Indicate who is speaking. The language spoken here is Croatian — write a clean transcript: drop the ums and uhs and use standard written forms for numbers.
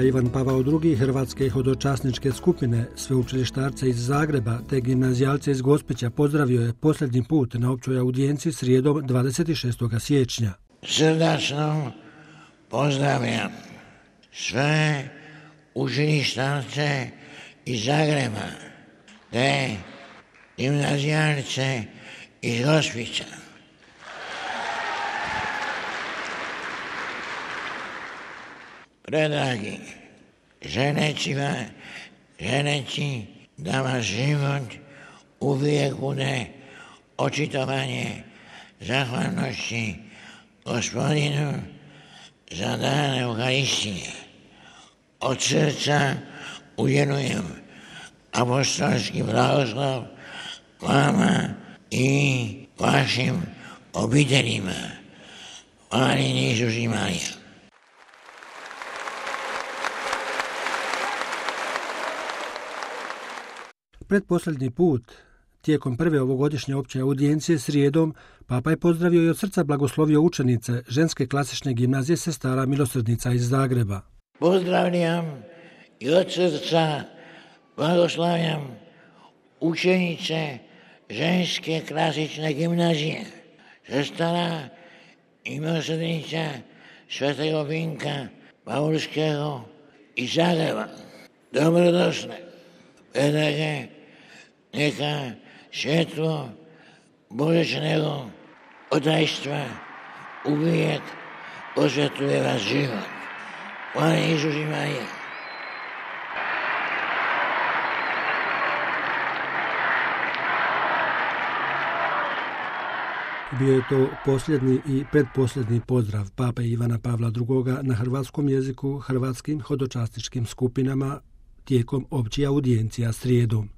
Speaker 1: Papa Ivan Pavao II Hrvatske hodočasničke skupine, sveučilištarce iz Zagreba te gimnazijalce iz Gospića pozdravio je posljednji put na općoj audijenciji srijedom 26. siječnja.
Speaker 2: Srdačno pozdravljam sve učilištarce iz Zagreba te gimnazijalce iz Gospića. Predragi ženeci, da vaš život uvijek bude očitovanje zahvalnosti Gospodinu za dan Euharistije. Od srca uvjerujem apostolski blagoslov vama i vašim obiteljima. Hvaljen Isus i Marija.
Speaker 1: Pretposljednji put, tijekom prve ovogodišnje opće audijencije srijedom, Papa je pozdravio i od srca blagoslovio učenice ženske klasične gimnazije Sestara Milosrdnica iz Zagreba.
Speaker 2: Pozdravljam i od srca blagoslavljam učenice ženske klasične gimnazije Sestara Milosrdnica Svetog Vinka Paulského iz Zagreba. Dobrodošle, predrage, neka svjetlo božečnego otajstva uvijek osvjetuje vas život. Hvaljen Isus i Marija.
Speaker 1: Bio je to posljednji i pretposljednji pozdrav Pape Ivana Pavla II na hrvatskom jeziku hrvatskim hodočasničkim skupinama tijekom općih audijencija srijedom.